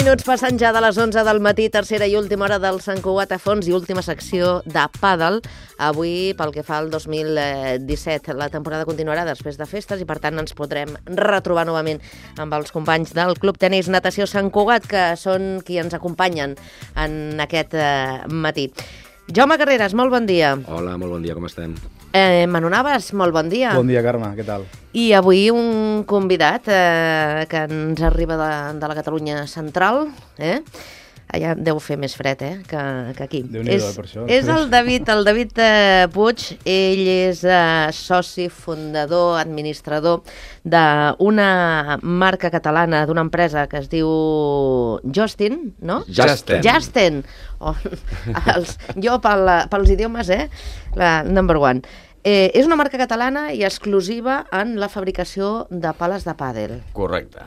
minuts passant ja de les 11 del matí, tercera i última hora del Sant Cugat a fons i última secció de pàdel. Avui, pel que fa al 2017, la temporada continuarà després de festes i, per tant, ens podrem retrobar novament amb els companys del Club Tenis Natació Sant Cugat, que són qui ens acompanyen en aquest matí. Jaume Carreras, molt bon dia. Hola, molt bon dia, com estem? Manu Navas, molt bon dia. Bon dia, Carme, què tal? I avui un convidat que ens arriba de la Catalunya central, allà deu fer més fred, que aquí. Déu-n'hi-do, per això. És el David Puig. Ell és soci, fundador, administrador d'una marca catalana, d'una empresa que es diu Justin, no? Justin. Jo pels idiomes, la number one. És una marca catalana i exclusiva en la fabricació de pales de pàdel. Correcte.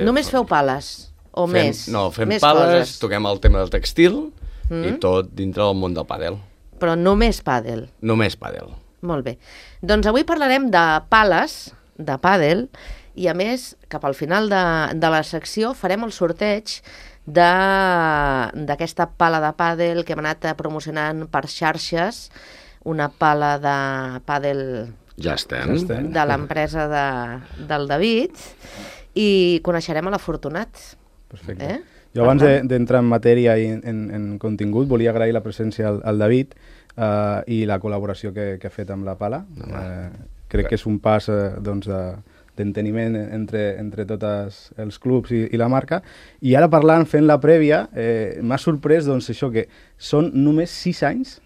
Només feu pales? O més? No, fem més pales, coses. toquem el tema del textil i tot dintre del món del pàdel. Però només pàdel? Només pàdel. Molt bé. Doncs avui parlarem de pales, de pàdel, i a més, cap al final de la secció farem el sorteig d'aquesta pala de pàdel que hem anat promocionant per xarxes, una pala de pàdel de l'empresa del David, i coneixerem a l'afortunat. Perfecte. Jo abans d'entrar en matèria i en contingut volia agrair la presència al David i la col·laboració que ha fet amb la pala. Crec que és un pas d'enteniment entre tots els clubs i la marca. I ara parlant, fent la prèvia, m'ha sorprès això que són només 6 anys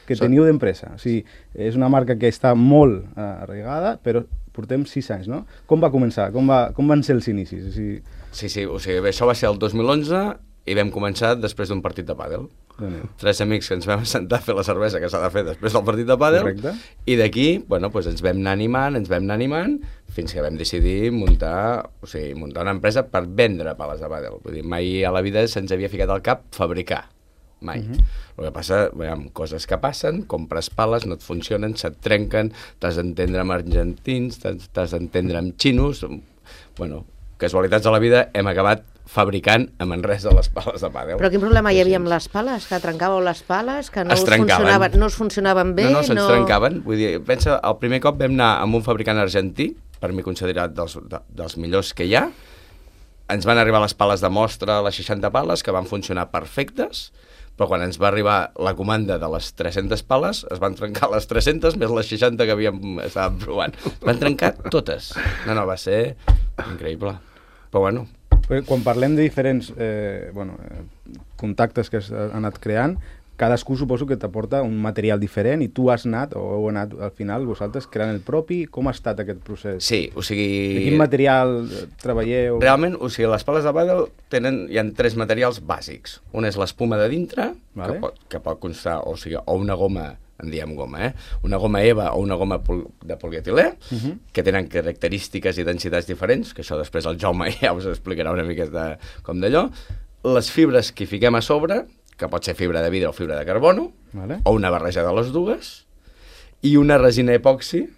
que teniu d'empresa. O sigui, és una marca que està molt arraigada, però portem 6 anys, no? Com va començar? Com van ser els inicis? O sigui... Sí, o sigui, això va ser el 2011 i vam començar després d'un partit de pàdel. 3 amics que ens vam sentar a fer la cervesa que s'ha de fer després del partit de pàdel. Correcte. I d'aquí, ens vam anar animant, fins que vam decidir muntar una empresa per vendre pales de pàdel. Vull dir, mai a la vida se'ns havia ficat al cap fabricar. Mai. El que passa, coses que passen, compres pales, no et funcionen, se't trenquen, t'has d'entendre amb argentins, t'has d'entendre amb xinos... Casualitats de la vida, hem acabat fabricant a Manresa les pales de pàdel. Però quin problema hi havia amb les pales? Que trencàveu les pales? Que no us funcionaven bé? No, se'ns trencaven. Vull dir, pensa, el primer cop vam anar amb un fabricant argentí, per mi considerat dels millors que hi ha. Ens van arribar les pales de mostra, les 60 pales, que van funcionar perfectes, però quan ens va arribar la comanda de les 300 pales, es van trencar les 300 més les 60 que estàvem provant. Van trencar totes. No, va ser increïble. Però quan parlem de diferents contactes que has anat creant, cadascú suposo que t'aporta un material diferent i tu has anat, o heu anat al final vosaltres creant el propi. Com ha estat aquest procés? Sí, o sigui... De quin material treballeu? Realment, o sigui, les pales de pàdel hi ha 3 materials bàsics. Un és l'espuma de dintre, que pot constar, o una goma, en diem goma, una goma EVA o una goma de polietilè, que tenen característiques i densitats diferents, que això després el Jaume ja us explicarà una miqueta com d'allò. Les fibres que hi fiquem a sobre, que pot ser fibra de vidre o fibra de carbono, o una barreja de les dues, i una resina epoxi,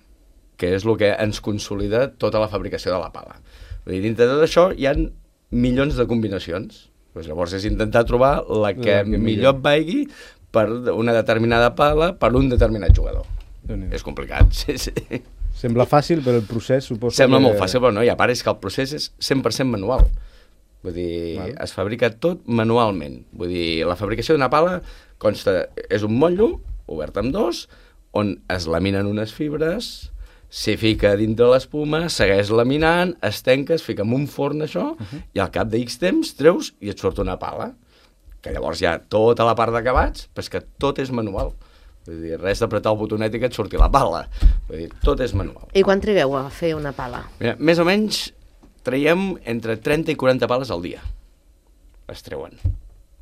que és el que ens consolida tota la fabricació de la pala. Vull dir, dintre de tot això hi ha milions de combinacions. Llavors és intentar trobar la que millor et vaigui per una determinada pala, per un determinat jugador. És complicat, sí. Sembla fàcil, però el procés suposo Sembla molt fàcil, però no, i a part és que el procés és 100% manual. Vull dir, es fabrica tot manualment. Vull dir, la fabricació d'una pala és un motllo, obert amb 2, on es laminen unes fibres, s'hi fica dintre l'espuma, segueix laminant, es tanca, es fica en un forn això, i al cap de X temps treus i et surt una pala. Que llavors hi ha tota la part d'acabats, però és que tot és manual. Vull dir, res d'apretar el botonet i que et surti la pala. Vull dir, tot és manual. I quan trigueu a fer una pala? Mira, més o menys traiem entre 30 i 40 pales al dia. Es treuen.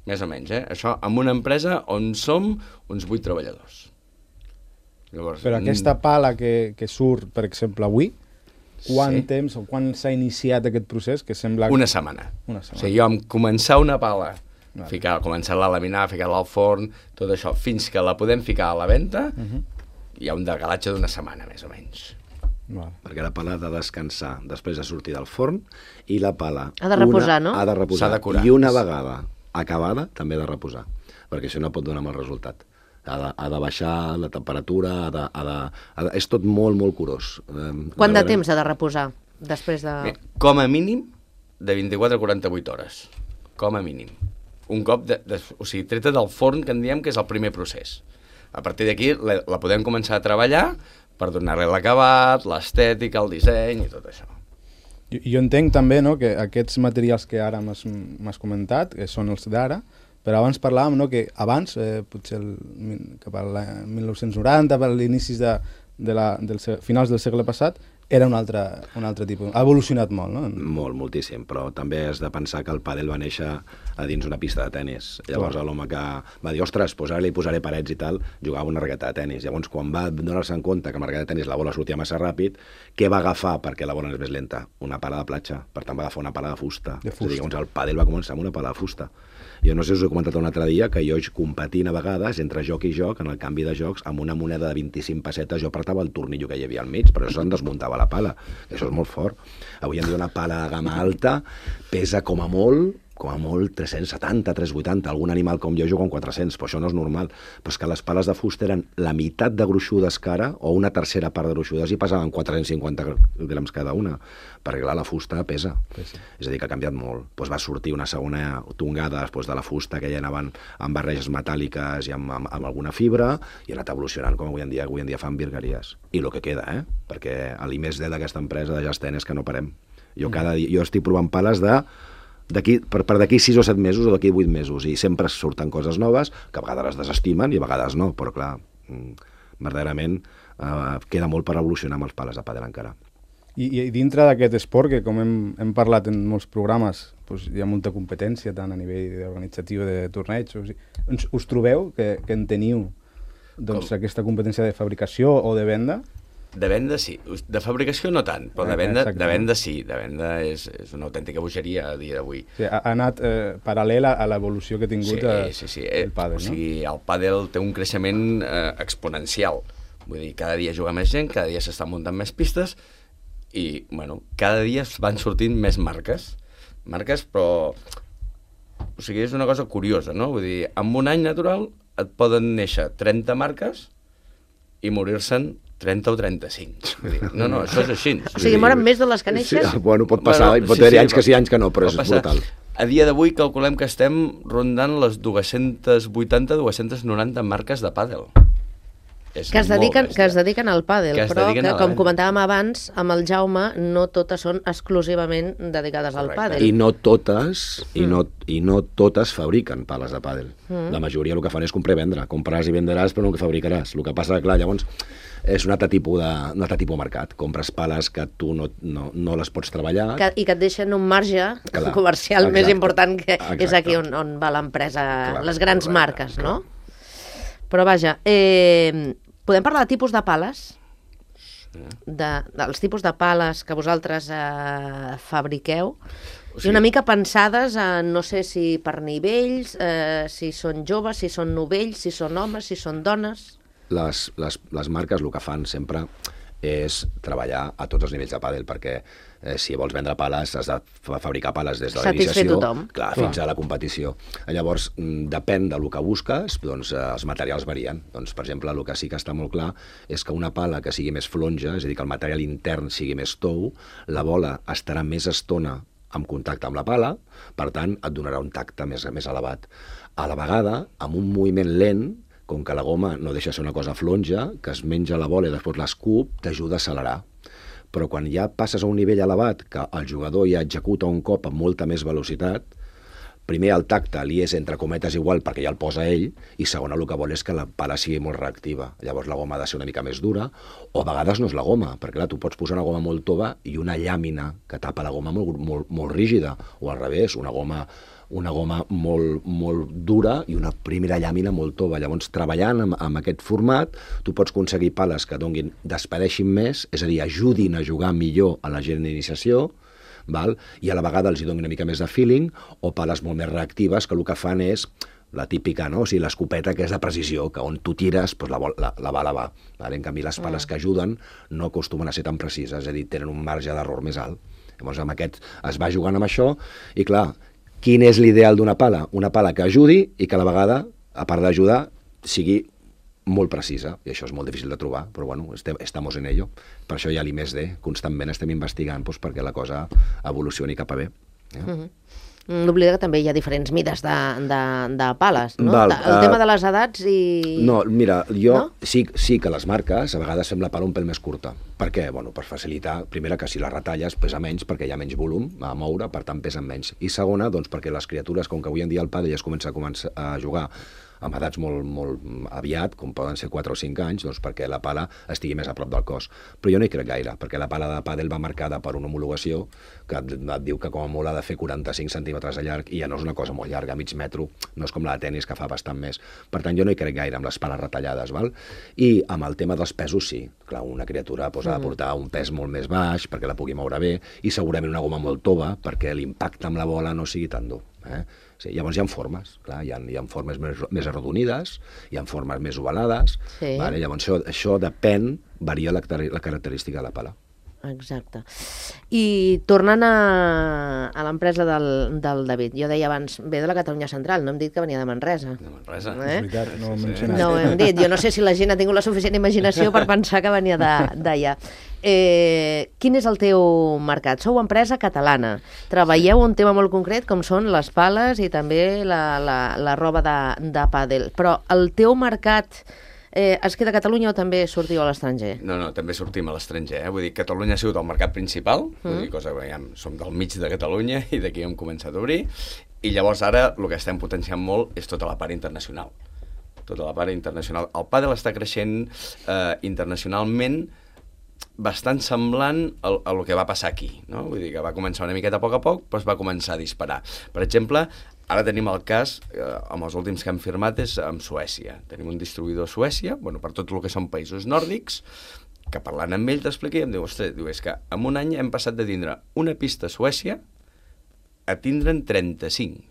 Més o menys, Això amb una empresa on som uns 8 treballadors. Llavors, però aquesta pala que surt, per exemple, avui, quant temps o quan s'ha iniciat aquest procés? Que sembla... Una setmana. O sigui, jo amb començar una pala, començar-la a laminar, ficar-la al forn, tot això, fins que la podem ficar a la venda, hi ha un decalatge d'una setmana, més o menys. perquè la pala ha de descansar després de sortir del forn i la pala... Ha de reposar, no? Ha de reposar. S'ha de curar. I una vegada acabada també ha de reposar, perquè això no pot donar mal resultat. Ha de baixar la temperatura, és tot molt, molt curós. Quant de temps ha de reposar després de... Com a mínim, de 24 a 48 hores. Com a mínim. Un cop, o sigui, treta del forn, que en diem que és el primer procés. A partir d'aquí la podem començar a treballar per donar-li l'acabat, l'estètica, el disseny i tot això. Jo entenc també, no, que aquests materials que ara m'has comentat, que són els d'ara, però abans parlàvem, no, que abans, potser cap al 1990, per l'inicis dels finals del segle passat, era un altre tipus. Ha evolucionat molt, no? Molt, moltíssim, però també has de pensar que el pàdel va néixer a dins una pista de tennis. Llavors l'home que va dir, ostres, doncs ara li posaré parets i tal, jugava una raqueta de tennis. Llavors, quan va donar-se en compte que amb la raqueta de tennis la bola sortia massa ràpid, què va agafar perquè la bola és més lenta? Una pala de platja. Per tant, va agafar una pala de fusta. És a dir, llavors el pàdel va començar amb una pala de fusta. Jo no sé si us he comentat un altre dia que jo competint a vegades entre joc i joc, en el canvi de jocs, amb una moneda de 25 pessetes jo apretava el tornillo que hi havia al mig, però això se'n desmuntava la pala. Això és molt fort. Avui en dia una pala de gamma alta pesa com a molt 370, 380, algun animal com jo juga amb 400, però això no és normal. Però és que les pales de fusta eren la meitat de gruixudes que ara, o una tercera part de gruixudes, i pesaven 450 grams cada una, perquè clar, la fusta pesa. És a dir, que ha canviat molt. Doncs va sortir una segona tongada després de la fusta, que ja anaven amb barreges metàl·liques i amb alguna fibra, i ha anat evolucionant com avui en dia fan virgueries. I el que queda, perquè l'I+D d'aquesta empresa de Just Tennis és que no parem. Jo estic provant pales per d'aquí 6 o 7 mesos o d'aquí 8 mesos, i sempre surten coses noves que a vegades les desestimen i a vegades no, però clar, verdaderament queda molt per evolucionar amb els pales de pàdel encara. I dintre d'aquest esport, que com hem parlat en molts programes, doncs hi ha molta competència tant a nivell organitzatiu de torneigs, us trobeu que en teniu aquesta competència de fabricació o de venda? De venda sí, de fabricació no tant, però de venda sí, de venda és una autèntica bogeria a dia d'avui. Sí, ha anat paral·lel a l'evolució que ha tingut el pàdel, no? O sigui, el pàdel té un creixement exponencial, vull dir, cada dia juga més gent, cada dia s'estan muntant més pistes i, bueno, cada dia van sortint més marques, però, o sigui, és una cosa curiosa, no? Vull dir, en un any natural et poden néixer 30 marques i morir-se'n 30 o 35. No, això és així. O sigui, moren més de les que neixes? Sí, bueno, pot passar, pot haver-hi anys que sí, anys que no, però és brutal. A dia d'avui calculem que estem rondant les 280-290 marques de pàdel. Que es dediquen al pàdel, però que, com comentàvem abans, amb el Jaume, no totes són exclusivament dedicades al pàdel. I no totes fabriquen pales de pàdel. La majoria el que fan és comprar i vendre. Compraràs i venderàs, però no el que fabricaràs. El que passa, clar, llavors, és un altre tipus de mercat. Compres pales que tu no les pots treballar. I que et deixen un marge comercial més important, que és aquí on va l'empresa, les grans marques, no? Però vaja, podem parlar de tipus de pales? Dels tipus de pales que vosaltres fabriqueu? I una mica pensades, no sé si per nivells, si són joves, si són novells, si són homes, si són dones... Les marques el que fan sempre és treballar a tots els nivells de pàdel, perquè si vols vendre pales has de fabricar pales des de la iniciació fins a la competició. Llavors, depèn del que busques, doncs els materials varien. Doncs, per exemple, el que sí que està molt clar és que una pala que sigui més flonja, és a dir, que el material intern sigui més tou, la bola estarà més estona en contacte amb la pala, per tant, et donarà un tacte més elevat. A la vegada, amb un moviment lent, com que la goma no deixa ser una cosa flonja, que es menja la bola i després l'escup, t'ajuda a accelerar. Però quan ja passes a un nivell elevat, que el jugador ja executa un cop amb molta més velocitat, primer el tacte li és entre cometes igual perquè ja el posa ell, i segon el que vol és que la pala sigui molt reactiva. Llavors la goma ha de ser una mica més dura, o a vegades no és la goma, perquè clar, tu pots posar una goma molt tova i una llàmina que tapa la goma molt rígida, o al revés, una goma molt dura i una primera llàmina molt tova. Llavors, treballant amb aquest format, tu pots aconseguir pales que despedeixin més, és a dir, ajudin a jugar millor a la gent d'iniciació, val? I a la vegada els hi doni una mica més de feeling, o pales molt més reactives que el que fan és la típica, no? O sigui, l'escopeta que és de precisió, que on tu tires, doncs la bala va. Vale? En canvi, les pales que ajuden no acostumen a ser tan precises, és a dir, tenen un marge d'error més alt. Llavors, amb aquest es va jugant amb això, i clar, quin és l'ideal d'una pala? Una pala que ajudi i que a la vegada, a part d'ajudar, sigui molt precisa, i això és molt difícil de trobar, però bueno, estamos en ello. Per això hi ha l'I+D, constantment estem investigant doncs, perquè la cosa evolucioni cap a bé. N'oblida que també hi ha diferents mides de pales, no? Val, El tema de les edats i... No, mira, jo no? sí que les marques a vegades fem la pala un pèl més curta. Per què? Bueno, per facilitar, primera, que si la retalles pesa menys perquè hi ha menys volum a moure, per tant pesen menys. I segona, doncs perquè les criatures, com que avui en dia el pàdel ja es comença a jugar amb edats molt aviat, com poden ser 4 o 5 anys, doncs perquè la pala estigui més a prop del cos. Però jo no hi crec gaire, perquè la pala de pàdel va marcada per una homologació que et diu que com a molt ha de fer 45 centímetres de llarg, i ja no és una cosa molt llarga, mig metro, no és com la de tenis que fa bastant més. Per tant, jo no hi crec gaire amb les pales retallades, val? I amb el tema dels pesos, sí. Clar, una criatura ha de portar un pes molt més baix perquè la pugui moure bé, i segurament una goma molt tova perquè l'impacte amb la bola no sigui tan dur. Sí, llavors hi ha formes, clar, hi ha formes més arrodonides, hi ha formes més ovalades, vale? Llavors això depèn, varia la característica de la pala. Exacte. I tornant a l'empresa del David, jo deia abans, ve de la Catalunya Central, no hem dit que venia de Manresa. De Manresa. És veritat, no ho hem mencionat. No ho hem dit, jo no sé si la gent ha tingut la suficient imaginació per pensar que venia d'allà. Quin és el teu mercat? Sou empresa catalana, treballeu un tema molt concret com són les pales i també la roba de pàdel, però el teu mercat es queda a Catalunya o també sortiu a l'estranger? No, també sortim a l'estranger. Vull dir, Catalunya ha sigut el mercat principal, vull dir, cosa que som del mig de Catalunya i d'aquí hem començat a obrir, i llavors ara el que estem potenciant molt és tota la part internacional. Tota la part internacional. El pàdel està creixent internacionalment bastant semblant a lo que va passar aquí, no? Vull dir que va començar una miqueta a poc, però es va començar a disparar. Per exemple, ara tenim el cas, amb els últims que hem firmat, és amb Suècia. Tenim un distribuïdor a Suècia, bueno, per tot el que són països nòrdics, que parlant amb ell t'explica i em diu, ostres, és que en un any hem passat de tindre una pista a Suècia a tindre'n 35.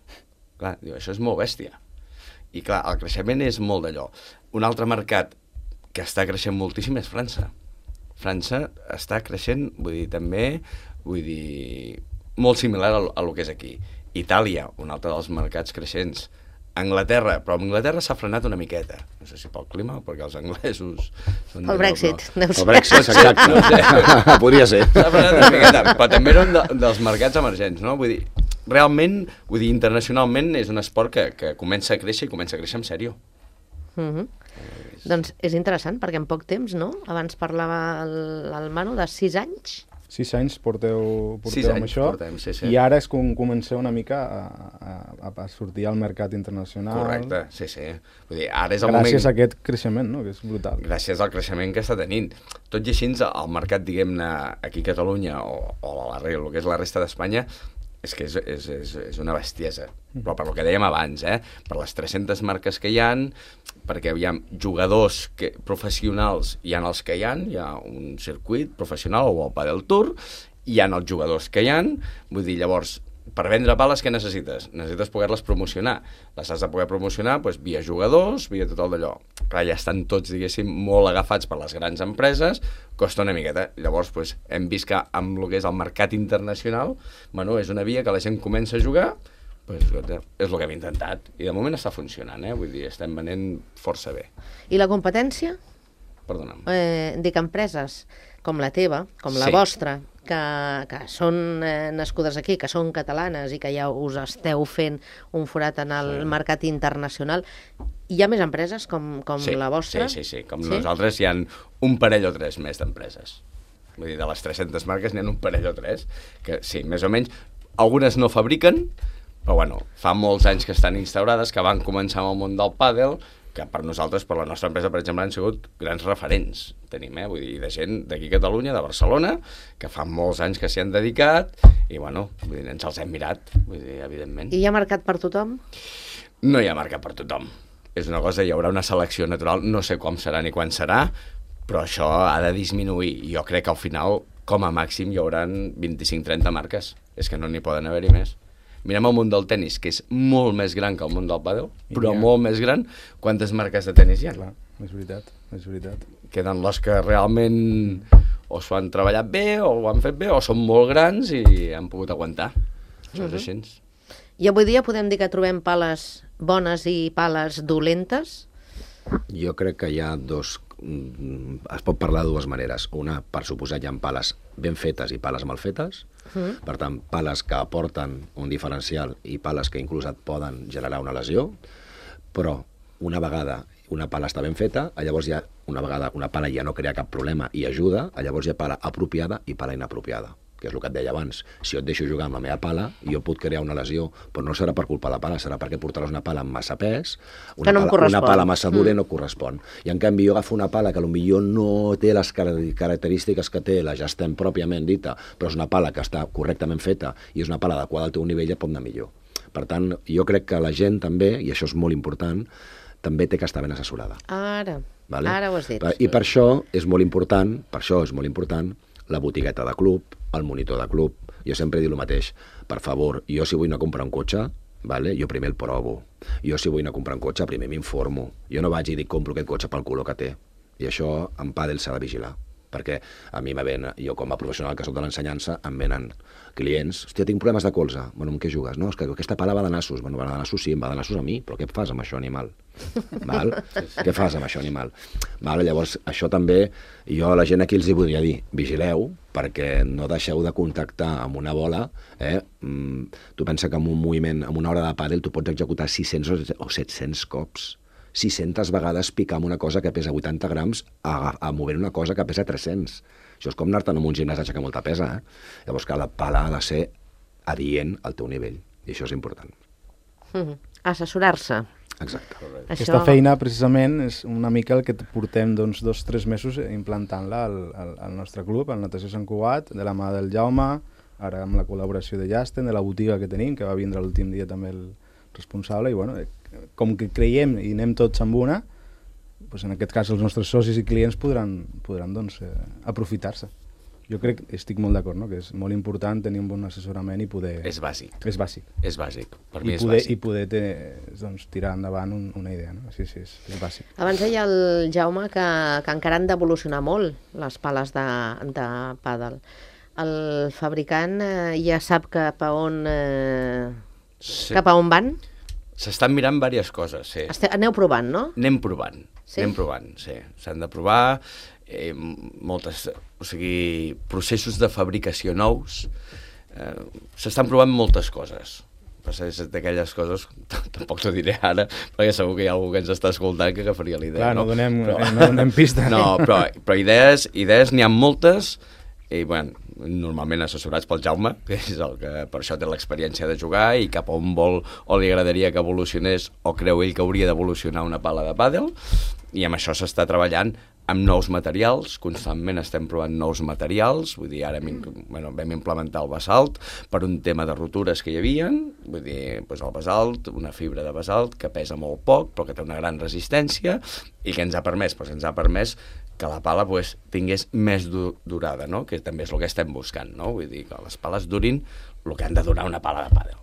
Clar, diu, això és molt bèstia. I clar, el creixement és molt d'allò. Un altre mercat que està creixent moltíssim és França. França està creixent, molt similar a lo que és aquí. Itàlia, un altre dels mercats creixents. Anglaterra, però Anglaterra s'ha frenat una miqueta. No sé si pel clima o perquè els anglesos... El Brexit. El Brexit, exacte. No sé. Podria ser. S'ha frenat una miqueta, però també eren dels mercats emergents, no? Vull dir, realment, internacionalment és un esport que comença a créixer i comença a créixer en sèrio. Doncs és interessant, perquè en poc temps, no? Abans parlava el Manu de 6 anys. 6 anys porteu amb això, sí. I ara és com comenceu una mica a sortir al mercat internacional. Correcte, sí. Vull dir, ara és el moment... Gràcies a aquest creixement, no?, que és brutal. Gràcies al creixement que està tenint. Tot i així, el mercat, diguem-ne, aquí a Catalunya o el que és la resta d'Espanya, és que és una bestiesa. Però per el que dèiem abans, per les 300 marques que hi ha, perquè hi ha jugadors professionals, hi ha els que hi ha un circuit professional o el Padel Tour, hi ha els jugadors que hi ha, vull dir, llavors, per vendre pales, què necessites? Necessites poder-les promocionar. Les has de poder promocionar via jugadors, via tot el d'allò. Clar, ja estan tots, diguéssim, molt agafats per les grans empreses, costa una miqueta. Llavors, hem vist que amb el que és el mercat internacional, és una via que la gent comença a jugar, és el que hem intentat. I de moment està funcionant, vull dir, estem venent força bé. I la competència? Perdona'm. Dic, empreses com la teva, com la vostra, que són nascudes aquí, que són catalanes i que ja us esteu fent un forat en el mercat internacional, hi ha més empreses com la vostra? Sí. Com nosaltres hi ha un parell o 3 més d'empreses. Vull dir, de les 300 marques n'hi ha un parell o 3, que sí, més o menys, algunes no fabriquen, però bueno, fa molts anys que estan instaurades, que van començar amb el món del pàdel, que per nosaltres, per la nostra empresa, per exemple, han sigut grans referents. Tenim, vull dir, de gent d'aquí a Catalunya, de Barcelona, que fa molts anys que s'hi han dedicat, i bueno, vull dir, ens els hem mirat, vull dir, evidentment. I hi ha mercat per tothom? No hi ha mercat per tothom. És una cosa, hi haurà una selecció natural, no sé com serà ni quan serà, però això ha de disminuir. Jo crec que al final, com a màxim, hi haurà 25-30 marques. és que no n'hi poden haver-hi més. Mirem el món del tennis, que és molt més gran que el món del pàdel, però molt més gran. Quantes marques de tennis hi ha? Clar, és veritat, és veritat. Queden les que realment o s'ho han treballat bé, o ho han fet bé, o són molt grans i han pogut aguantar. Això és així. I avui dia podem dir que trobem pales bones i pales dolentes? Jo crec que hi ha dos... Es pot parlar de dues maneres. Una, per suposat, hi ha pales ben fetes i pales mal fetes. Per tant, pales que aporten un diferencial i pales que inclús et poden generar una lesió. Però una vegada una pala està ben feta, llavors ja una vegada una pala ja no crea cap problema i ajuda, llavors hi ha pala apropiada i pala inapropiada, que és el que et deia abans. Si jo et deixo jugar amb la meva pala, jo puc crear una lesió, però no serà per culpa de la pala, serà perquè portaràs una pala amb massa pes, una pala massa dura no correspon. I en canvi jo agafo una pala que potser no té les característiques que té la Just-Ten pròpiament dita, però és una pala que està correctament feta i és una pala adequada al teu nivell, ja pot anar millor. Per tant, jo crec que la gent també, i això és molt important, també té que estar ben assessorada. Ara ho has dit. I per això és molt important, la botigueta de club, el monitor de club. Jo sempre dic el mateix. Per favor, jo si vull anar a comprar un cotxe, jo primer el provo. Jo si vull anar a comprar un cotxe, primer m'informo. Jo no vaig i dic compro aquest cotxe pel color que té. I això en pàdel s'ha de vigilar. Perquè a mi jo com a professional que soc de l'ensenyança, em venen clients, hòstia, tinc problemes de colze. Bueno, amb què jugues? No, és que aquesta pala va de nassos. Bueno, va de nassos, sí, em va de nassos a mi, però què fas amb això, animal? Què fas amb això, animal? Llavors, això també, jo a la gent aquí els hi voldria dir, vigileu, perquè no deixeu de contactar amb una bola. Tu pensa que amb un moviment, amb una hora de pàdel, tu pots executar 600 o 700 cops. 600 vegades picar amb una cosa que pesa 80 grams a mover una cosa que pesa 300. Això és com anar-te'n amb un gimnàs a aixecar molta pesa. Llavors que la pala ha de ser adient al teu nivell, i això és important. Assessorar-se. Exacte. Aquesta feina, precisament, és una mica el que portem 2 o 3 mesos implantant-la al nostre club, al Natació Sant Cugat, de la mà del Jaume, ara amb la col·laboració de Just-Ten, de la botiga que tenim, que va vindre l'últim dia també el responsable, i bueno, com que creiem i anem tots amb una, doncs en aquest cas els nostres socis i clients podran doncs, aprofitar-se. Jo crec, estic molt d'acord, no? Que és molt important tenir un bon assessorament i poder... És bàsic. És bàsic. És bàsic. Per mi és bàsic. I poder doncs, tirar endavant una idea, no? Sí, és bàsic. Abans deia el Jaume que encara han d'evolucionar molt les pales de pàdel. El fabricant ja sap cap a on van? S'estan mirant diverses coses, sí. Aneu provant, no? Anem provant, sí. S'han de provar processos de fabricació nous. S'estan provant moltes coses. És d'aquelles coses, tampoc t'ho diré ara, perquè segur que hi ha algú que ens està escoltant que agafaria l'idea. Clar, no donem pista. No, però idees n'hi ha moltes, i bueno, normalment assessorats pel Jaume, que és el que per això té l'experiència de jugar i cap a on vol o li agradaria que evolucionés o creu ell que hauria d'evolucionar una pala de pàdel, i amb això s'està treballant amb nous materials, constantment estem provant nous materials, vull dir, ara vam implementar el basalt per un tema de rotures que hi havia, vull dir, doncs el basalt, una fibra de basalt que pesa molt poc però que té una gran resistència i que ens ha permès que la pala tingués més durada, no? Que també és el que estem buscant, no? Vull dir, que les pales durin el que han de durar una pala de pàdel.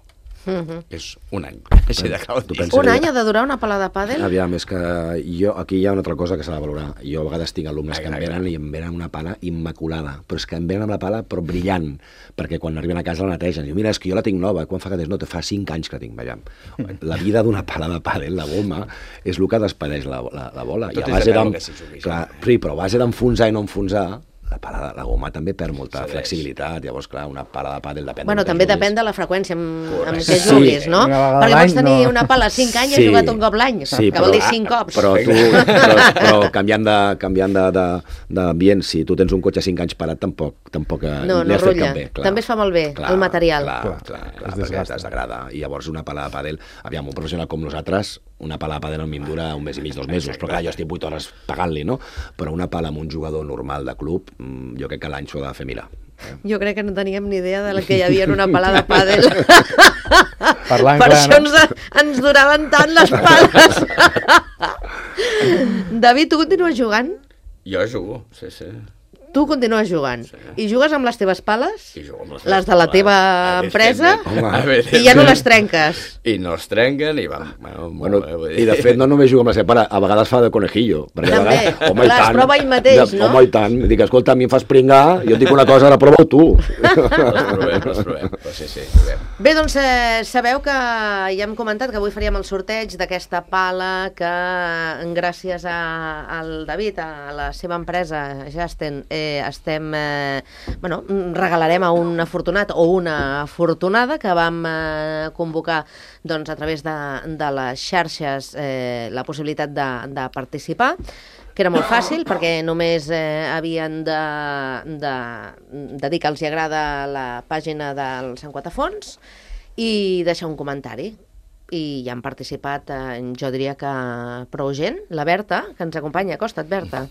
És un any, així de clar. Un any ha de durar una pala de pàdel? Aviam, és que aquí hi ha una altra cosa que s'ha de valorar. Jo a vegades tinc alumnes que em venen una pala immaculada, però és que em venen amb la pala però brillant, perquè quan arriben a casa la netegen. Diu, mira, és que jo la tinc nova, quan fa que tens? No, te fa 5 anys que la tinc. Veiem. La vida d'una pala de pàdel, la goma, és el que despedeix la bola. Tot és de veure que s'hi jugui. Sí, però a base d'enfonsar i no enfonsar, la goma també perd molta flexibilitat. Llavors, clar, una pala de pàdel depèn... Bueno, també depèn de la freqüència amb què juguis, no? Perquè pots tenir una pala 5 anys i has jugat un cop l'any, que vol dir 5 cops. Però canviant d'ambient, si tu tens un cotxe 5 anys parat, tampoc no rutlla. També es fa molt bé, el material. Clar, perquè es degrada. I llavors una pala de pàdel, aviam, un professional com nosaltres, una pala de pàdel a mi em dura 1 mes i mig, 2 mesos, però clar, jo estic 8 hores pagant-li, no? Però una pala amb un jugador normal de club, jo crec que l'any s'ho ha de fer mirar. Jo crec que no teníem ni idea de que hi havia una pala de pàdel. Per això ens duraven tant les pales. David, tu continues jugant? Jo jugo, sí. tu continues jugant. Sí. I jugues amb les teves pales, I jugo amb les de la teva empresa, Evidentment. i ja no les trenques. I no es trenquen i van... Bueno, i de fet no només juga amb la seva pare, a vegades fa de conejillo. Perquè a També. vegades, home, i Les tant, prova ell mateix, no? Home, i tant. Dic, escolta, a mi em fas pringar, jo et dic una cosa, ara prova-ho tu. Les provem. Però sí, juguem. Bé, doncs sabeu que ja hem comentat que avui faríem el sorteig d'aquesta pala que gràcies al David, a la seva empresa Jasten, regalarem a un afortunat o una afortunada que vam convocar doncs, a través de les xarxes la possibilitat de participar, que era molt fàcil perquè només havien de dir que els hi agrada la pàgina del Sant Quatafons i deixar un comentari. I hi han participat, jo diria que prou gent. La Berta, que ens acompanya, acosta't, Berta.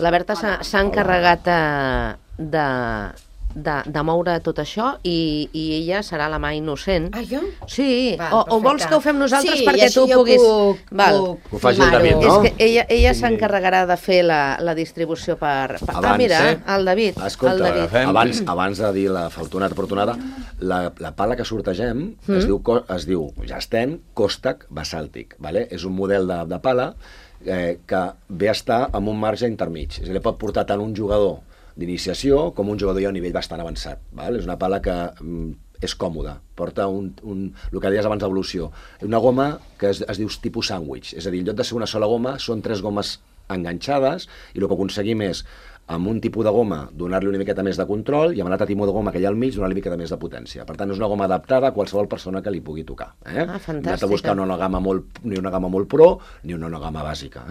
La Berta s'ha encarregat de moure tot això i ella serà la mà innocent. Ah, jo? Sí, Va, o vols que ho fem nosaltres sí, perquè tu puguis... Ho faci el David, no? És que ella s'encarregarà de fer la distribució per... mira, el David. Escolta, el David. abans de dir la afortunada, la pala que sortegem es diu Jasten Kostak Basàltic. Vale? És un model de pala que ve a estar amb un marge intermig. És a dir, pot portar tant un jugador d'iniciació com un jugador ja a nivell bastant avançat. Val? És una pala que és còmoda, porta el que deies abans d'evolució. Una goma que es diu tipus sàndwich, és a dir, en lloc de ser una sola goma, són 3 gomes enganxades i el que aconseguim és, amb un tipus de goma, donar-li una miqueta més de control i amb l'altre tipus de goma que hi ha al mig, donar-li una miqueta més de potència. Per tant, és una goma adaptada a qualsevol persona que li pugui tocar. Fantàstica. No has de buscar ni una gamma molt pro ni una gamma bàsica.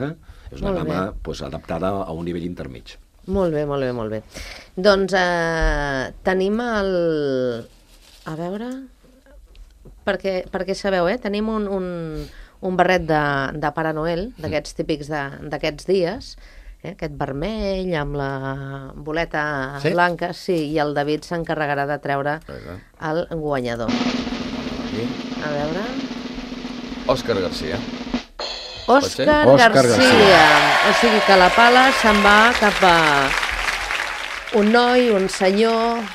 És una gamma adaptada a un nivell intermig. Molt bé. Doncs tenim el... A veure... Perquè sabeu, tenim un barret de Pare Noel, d'aquests típics d'aquests dies, aquest vermell amb la boleta blanca, sí, i el David s'encarregarà de treure el guanyador. A veure... Òscar Garcia. Òscar Garcia. O sigui que la pala se'n va cap a un noi, un senyor,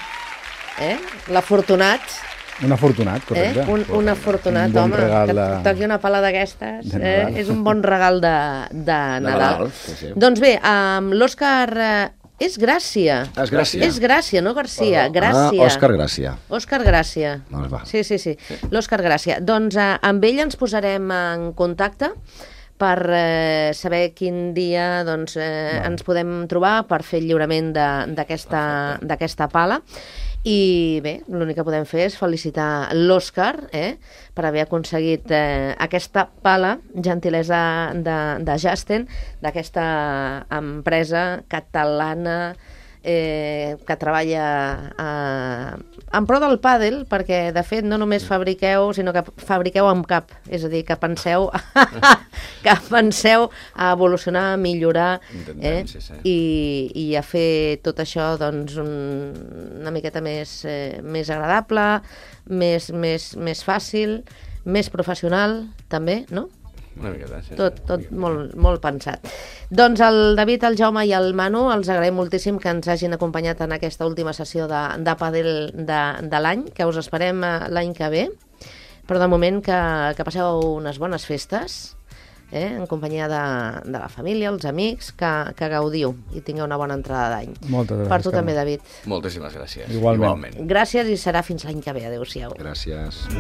l'afortunat. Un afortunat, correcte. Un afortunat, home, que toqui una pala d'aquestes. És un bon regal de Nadal. Sí. Doncs bé, amb l'Òscar... És Gràcia. És Gràcia. És Gràcia, no Garcia. Gràcia. Òscar Gràcia. Òscar Gràcia. Sí. L'Òscar Gràcia. Doncs amb ell ens posarem en contacte per saber quin dia ens podem trobar per fer el lliurament d'aquesta pala. I bé, l'únic que podem fer és felicitar l'Òscar per haver aconseguit aquesta pala, gentilesa de Jasten, d'aquesta empresa catalana que treballa en pro del pàdel, perquè de fet no només fabriqueu, sinó que fabriqueu amb cap, és a dir, que penseu a evolucionar, a millorar i a fer tot això doncs una miqueta més agradable, més fàcil, més professional també, no? Una miqueta, sí. Tot molt pensat. Doncs el David, el Jaume i el Manu els agraïm moltíssim que ens hagin acompanyat en aquesta última sessió de pàdel de l'any, que us esperem l'any que ve, però de moment que passeu unes bones festes en companyia de la família, els amics, que gaudiu i tingueu una bona entrada d'any. Moltes gràcies. Per tu també, David. Moltíssimes gràcies. Igualment. Gràcies i serà fins l'any que ve. Adéu-siau. Gràcies.